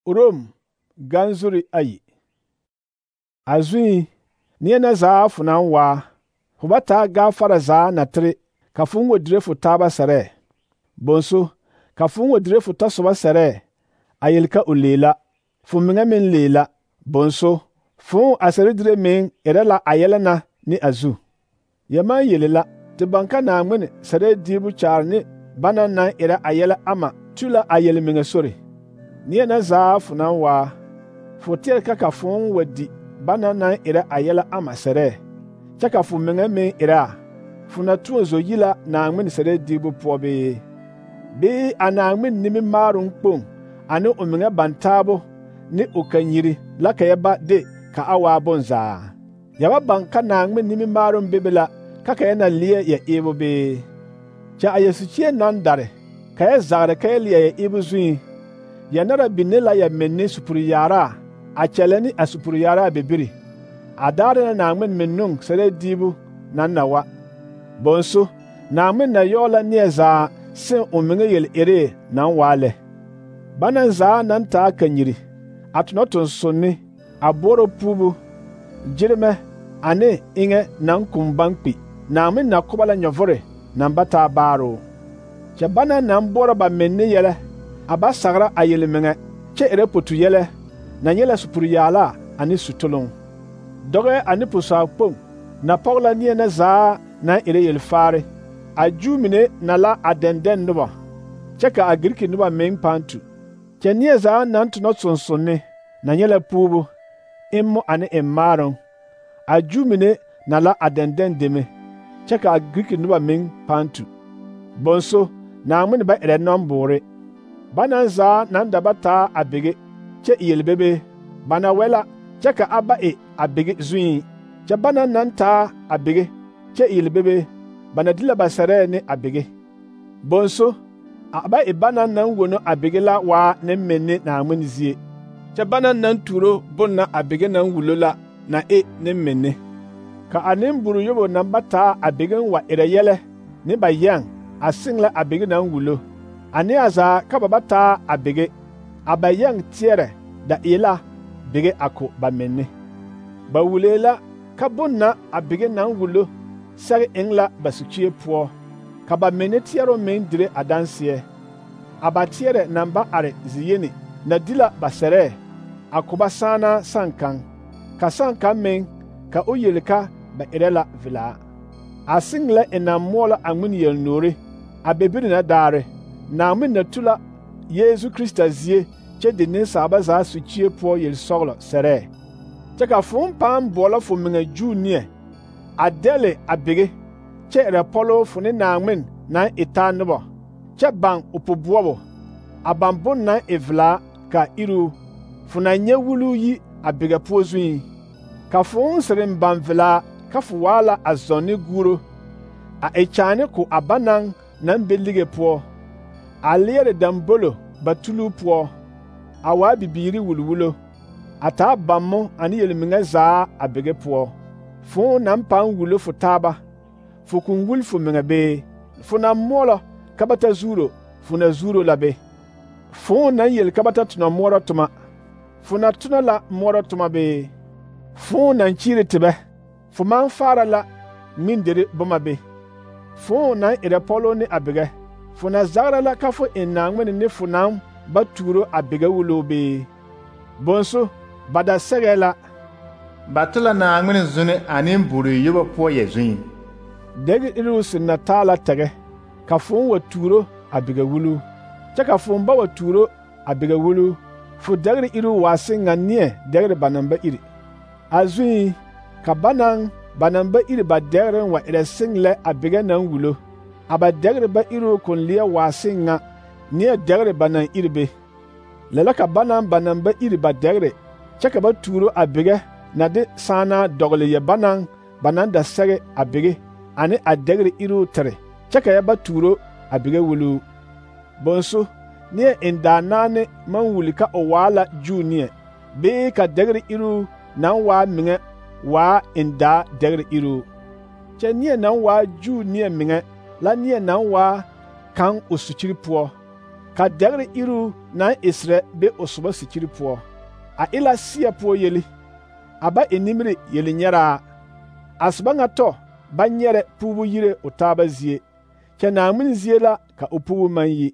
Rom ganzuri ayi. Azui neɛ na zaa fo naŋ waa, fo ba taa gafara zaa na tere ka fo ŋwa dire fo taaba sɛrɛɛ. Bonso, ka fo ŋwa dire fo tɔsoba sɛrɛɛ, a yele ka o leela, fo meŋa meŋ leela. Bonso, fo a sɛre dire meŋ erɛ la a yɛlɛ na ne a zu. Yɛ maŋ yele la, te baŋ ka Naaŋmen sɛrɛɛ diibu kyaare ne bana naŋ erɛ a yɛlɛ ama tu la a yelmeŋa sore. Neɛ na zaa fo naŋ waa, fo teɛre ka fo wa di bana naŋ erɛ a yɛlɛ ama sɛrɛɛ, kyɛ ka fo meŋa meŋ erɛ a, fo na tõɔ zo yi la Naaŋmen sɛrɛɛ diibu poɔ bee? Bee a Naaŋmen nimimaaroŋ kpoŋ ane o meŋa bantaabo ne o kanyiri la ka yɛ ba de ka a waa bonzaa? Yɛ ba baŋ ka Naaŋmen nimimaaroŋ bebe la ka yɛ na leɛ yɛ eebo bee? Kyɛ a yɛ sukyie naŋ dare, ka yɛ zagre ka yɛ leɛ yɛ eebo zuŋ, yɛ nara binne la yɛ menne supur-yaaraa a kyɛllɛ ne a supur-yaaraa bibiri, a daare na Naaŋmen mennun sɛrɛɛ diibu naŋ na wa. Bonso, Naaŋmen na yɔɔ la neɛ zaa seŋ o meŋa yel-eree naŋ waa lɛ. Bana zaa naŋ taa kanyiri, a tonɔ tonsonni, a boɔrɔ puubu, gyeremɛ ane eŋɛ naŋ kum baŋ kpi, Naaŋmen na ko ba la nyɔvore naŋ ba taa baaroo. Kyɛ bana naŋ boɔrɔ ba menne yɛlɛ, a ba sagra a yelmeŋɛ, kyɛ erɛ potu yɛlɛ, na nyɛ la supur-yaalaa ane sutoloŋ. Dɔgɛ ane pusaakpoŋ na pɔge la neɛ na zaa naŋ erɛ yelfaare. A Juu mine na la a dɛndɛn noba, kyɛ ka a Giriki noba meŋ pãã tu. Kyɛ neɛ zaa naŋ tonɔ sonsonne na nyɛ la puubu, emmo ane emmaaroŋ. A Juu mine na la a dɛndɛn deme, kyɛ ka a Giriki noba meŋ pãã tu. Bonso, Naaŋmen ba erɛ nɔmboore. Bana zaa naŋ da ba taa a bege, kyɛ e yelbebe, ba na wɛ la, kyɛ ka a ba e a bege zuŋ. Kyɛ bana naŋ taa a bege, kyɛ e yelbebe, ba na di la ba sɛrɛɛ ne a bege. Bonso, a ba e bana naŋ wono a bege la waa ne menne Naaŋmen zie. Kyɛ bana naŋ tuuro bon na a bege naŋ wulo la na e ne menne. Ka a nemburu yobo naŋ ba taa a begen wa erɛ yɛlɛ ne ba yɛŋ a seŋ la a bege naŋ wulo. A neɛ zaa ka ba ba taa a bege, a ba yɛŋ teɛrɛ da e la bege a ko ba menne. Ba wulee la ka bon na a bege naŋ wulo sɛge eŋ la ba sukyie poɔ, ka ba menne teɛroo meŋ dire a danseɛ. A ba teɛrɛ naŋ ba are ziyeni na di la ba sɛrɛɛ, a ko ba saana saŋkaŋ, ka saŋkaŋ meŋ ka o yeli ka ba erɛ la velaa. A seŋ la e naŋ moɔ la a ŋmene yelnoore, a bebiri na daare, Naaŋmen na tu la Yeezu Krista zie kyɛ de nensaaba zaa sukyie poɔ yelsɔglɔ sɛrɛɛ. Kyɛ ka fo pãã boɔlɔ fo meŋa Juu neɛ, a dɛle a bege, kyɛ erɛ pɔloo fo ne Naaŋmen naŋ e taa noba, kyɛ baŋ o poboɔbo, a baŋ bon naŋ e velaa ka iruu, fo na nyɛ wuluu yi a bega poɔ zuŋ. Ka fo sereŋ baŋ velaa ka fo waa la a zɔŋ ne guuro, a e kyaane ko a banaŋ naŋ be lige poɔ, a leɛre dambolo ba tuluu poɔ, a waa bibiiri wulwulo, a taa bammo ane yelmeŋa zaa a bege poɔ. Fo naŋ pãã wulo fo taaba, fo koŋ wuli fo meŋa bee? Fo naŋ moɔlɔ ka ba ta zuuro, fo na zuuro la be? Fo naŋ yeli ka ba ta tonɔ moɔrɔ toma, fo na tonɔ la moɔrɔ toma bee? Fo naŋ kyiiri tebɛ, fo maŋ faara la ŋmenderi boma be? Fo naŋ erɛ pɔloo ne a begɛ, fo na zagra la ka fo eŋ Naaŋmen ne fo naŋ ba tuuro a bege wuloo bee? Bonso, ba da sɛgɛɛ la: ba to la Naaŋmen zuni a nemburu yobo poɔ yɛ zuŋ. Dɛgre iruu sɩd na taa la tɛgɛ, ka fo wa tuuro a bege wuluu, kyɛ ka fo ba wa tuuro a bege wuluu, fo dɛgre iruu waa seŋ ŋa neɛ dɛgre ba naŋ ba iri. A zuŋ, ka banaŋ ba naŋ ba iri ba dɛgreŋ wa erɛ seŋ lɛ a bege naŋ wulo, a ba dɛgre ba iruu kon leɛ waa seŋ ŋa neɛ dɛgre ba naŋ iri be. Lɛ la ka banaŋ ba naŋ ba iri ba dɛgre, kyɛ ka ba tuuro a bege na de saanaa dɔgle yɛ banaŋ ba naŋ da sɛge a bege ane a dɛgre iruu tere, kyɛ ka yɛ ba tuuro a bege wuluu. Bonso, neɛ en daa naane maŋ wuli ka o waa la Juu neɛ, bee ka dɛgre iruu naŋ waa meŋɛ waa en daa dɛgre iruu. Kyɛ neɛ naŋ waa Juu neɛ meŋɛ la neɛ naŋ waa kaŋ o sukyiri poɔ, ka dɛgre iru naŋ esrɛ be o soba sikyiri poɔ. A e la seɛ poɔ yeli, a ba e nimiri yelinyɛraa. A soba ŋa tɔ ba nyɛrɛ puubu yire o taaba zie, kyɛ Naaŋmen zie la ka o puubu maŋ yi.